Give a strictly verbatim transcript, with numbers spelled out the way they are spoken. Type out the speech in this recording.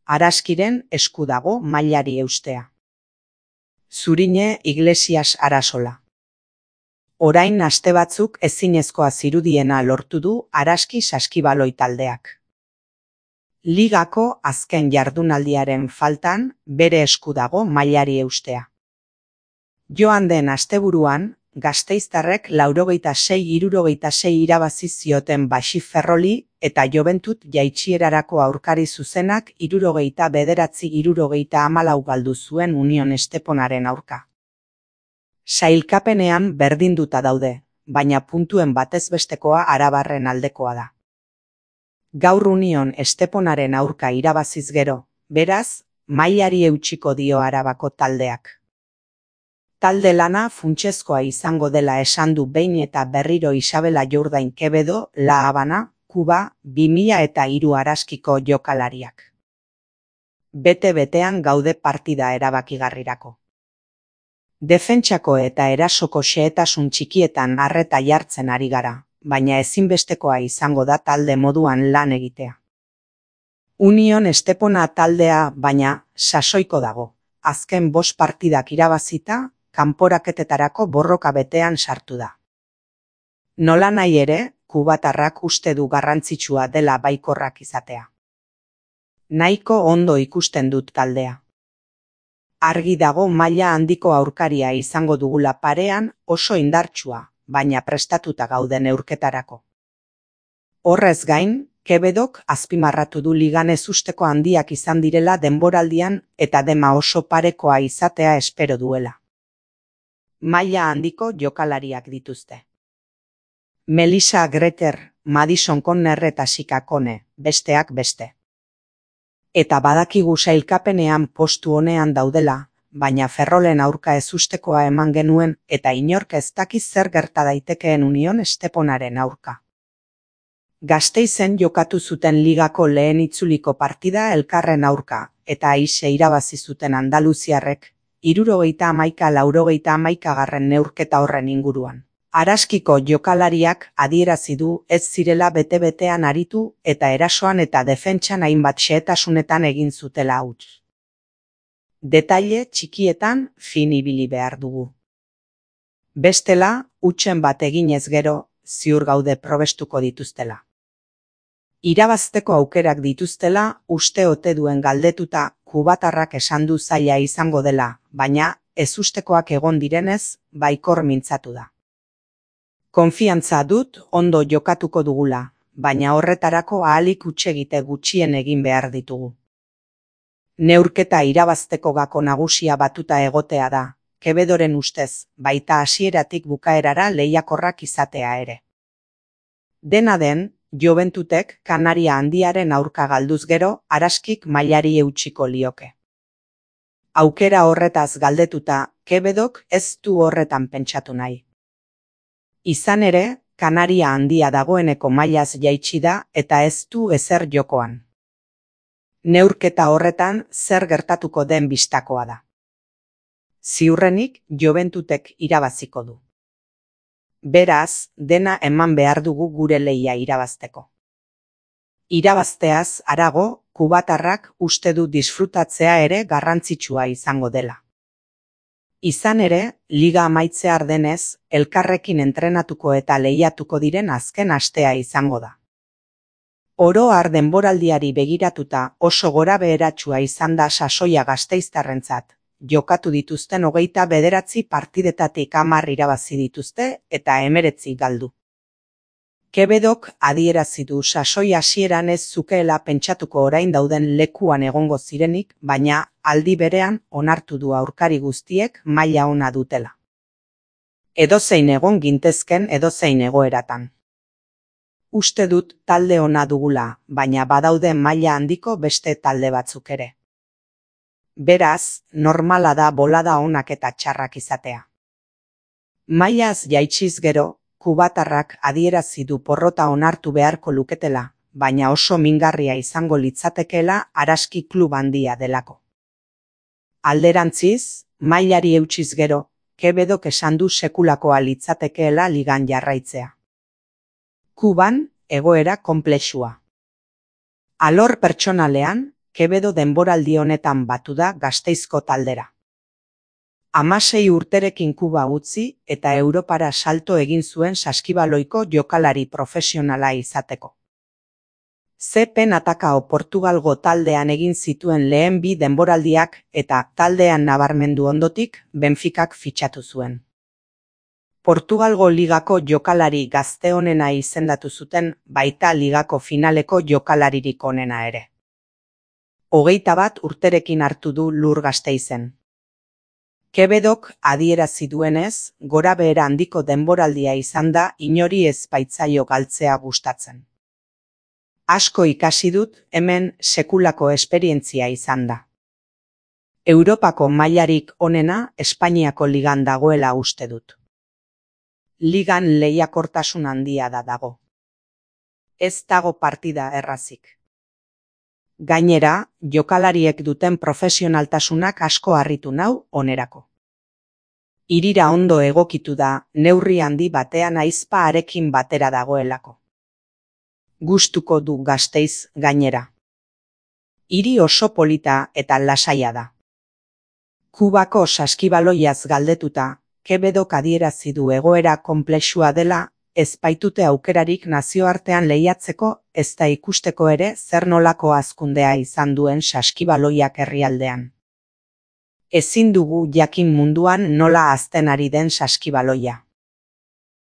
Araskiren esku dago mailari eustea. Zurine Iglesias Arasola. Orain aste batzuk ezinezkoa zirudiena lortu du Araski Saskibaloi taldeak. Ligako azken jardunaldiaren faltan bere esku dago mailari eustea. Joan den asteburuan, gasteiztarrek laurogeita sei hirurogeita sei irabazi zioten Baxi Ferroli eta Joventut jaitsierarako aurkari zuzenak hirurogeita bederatzi hirurogeita hamalau galdu zuen Union Esteponaren aurka. Sailkapenean berdinduta daude, baina puntuen batezbestekoa Arabarren aldekoa da. Gaur Union Esteponaren aurka irabaziz gero, beraz, mailari eutsiko dio Arabako taldeak. Talde lana funtsezkoa izango dela esan du behin eta berriro Isabela Jourdain Quevedo, La Habana, Kuba, bi mila eta hiru Araskiko jokalariak. Bete-betean gaude partida erabakigarrirako. Defentsako eta erasoko xehetasun txikietan arreta jartzen ari gara, baina ezinbestekoa izango da talde moduan lan egitea. Union Estepona taldea, baina, sasoiko dago. Azken bost partidak irabazita, kanporaketetarako borroka betean sartu da. Nolanahi ere, kubatarrak uste du garrantzitsua dela baikorrak izatea. Nahiko ondo ikusten dut taldea. Argi dago maila handiko aurkaria izango dugula parean, oso indartsua, baina prestatuta gauden neurketarako. Horrez gain, Quevedok azpimarratu du ligan ezusteko handiak izan direla denboraldian eta dema oso parekoa izatea espero duela. Maila handiko jokalariak dituzte. Melissa Greter, Madison Conner eta Sika Kone, besteak beste. Eta badakigu sailkapenean postu honean daudela, baina Ferrolen aurka ezustekoa eman genuen eta inork ez dakiz zer gerta daitekeen Union Esteponaren aurka. Gasteizen jokatu zuten ligako lehen itzuliko partida elkarren aurka, eta aise irabazi zuten andaluziarrek, hirurogeita hamaika laurogeita hamaikagarren neurketa horren inguruan. Araskiko jokalariak adierazi du ez zirela bete-betean aritu eta erasoan eta defentsan hainbat xehetasunetan egin zutela huts. Detaile txikietan fin ibili behar dugu. Bestela, hutsen bat eginez gero, ziur gaude probestuko dituztela. Irabazteko aukerak dituztela uste ote duen galdetuta kubatarrak esan du zaila izango dela, baina ezustekoak egon direnez, baikor mintzatu da. Konfiantza dut ondo jokatuko dugula, baina horretarako ahalik hutsegite gutxien egin behar ditugu. Neurketa irabazteko gako nagusia batuta egotea da, Quevedoren ustez, baita hasieratik bukaerara lehiakorrak izatea ere. Dena den, Joventutek Kanaria handiaren aurka galduz gero, Araskik mailari eutsiko lioke. Aukera horretaz galdetuta, Quevedok ez du horretan pentsatu nahi. Izan ere, Kanaria handia dagoeneko mailaz jaitsi da eta ez du ezer jokoan. Neurketa horretan zer gertatuko den bistakoa da. Ziurrenik Joventutek irabaziko du. Beraz, dena eman behar dugu gure lehia irabazteko. Irabazteaz harago, kubatarrak uste du disfrutatzea ere garrantzitsua izango dela. Izan ere, liga amaitzear denez, elkarrekin entrenatuko eta lehiatuko diren azken astea izango da. Oro har denboraldiari begiratuta oso gora beheratsua izan da sasoia gasteiztarrentzat. Jokatu dituzten hogeita bederatzi partidetatik hamar irabazi dituzte eta hemeretzi galdu. Quevedok adierazi du sasoi hasieran ez zukeela pentsatuko orain dauden lekuan egongo zirenik, baina aldi berean onartu du aurkari guztiek maila ona dutela. Edozein egon gintezken edozein egoeratan. Uste dut talde ona dugula, baina badaude maila handiko beste talde batzuk ere. Beraz, normala da bolada onak eta txarrak izatea. Mailaz jaitsiz gero, kubatarrak adierazi du porrota onartu beharko luketela, baina oso mingarria izango litzatekeela Araski klub handia delako. Alderantziz, mailari eutsiz gero, Quevedok esan du sekulakoa litzatekeela ligan jarraitzea. Kuban, egoera konplexua. Alor pertsonalean, Quevedo denboraldi honetan batu da Gasteizko taldera. Hamasei urterekin Kuba utzi eta Europara salto egin zuen saskibaloiko jokalari profesionala izateko. Zepen Atakao Portugalgo taldean egin zituen lehen bi denboraldiak eta taldean nabarmendu ondotik Benficak fitxatu zuen. Portugalgo ligako jokalari gazte onena izendatu zuten, baita ligako finaleko jokalaririk onena ere. Hogeita bat urterekin hartu du lur Gasteizen. Quevedok adierazi duenez, gorabehera handiko denboraldia izan da inori ez baitzaio galtzea gustatzen. Asko ikasi dut, hemen sekulako esperientzia izan da. Europako mailarik onena Espainiako ligan dagoela uste dut. Ligan lehiakortasun handia da dago. Ez dago partida errazik. Gainera, jokalariek duten profesionaltasunak asko harritu nau onerako. Hirira ondo egokitu da, neurri handi batean aizpa harekin batera dagoelako. Gustuko du Gasteiz gainera. Hiri oso polita eta lasaia da. Kubako saskibaloiaz galdetuta, Quevedok adierazi du egoera konplexua dela, ez baitute aukerarik nazioartean lehiatzeko, ez da ikusteko ere zer nolako hazkundea izan duen saskibaloiak herrialdean. Ezin dugu jakin munduan nola hazten ari den saskibaloia.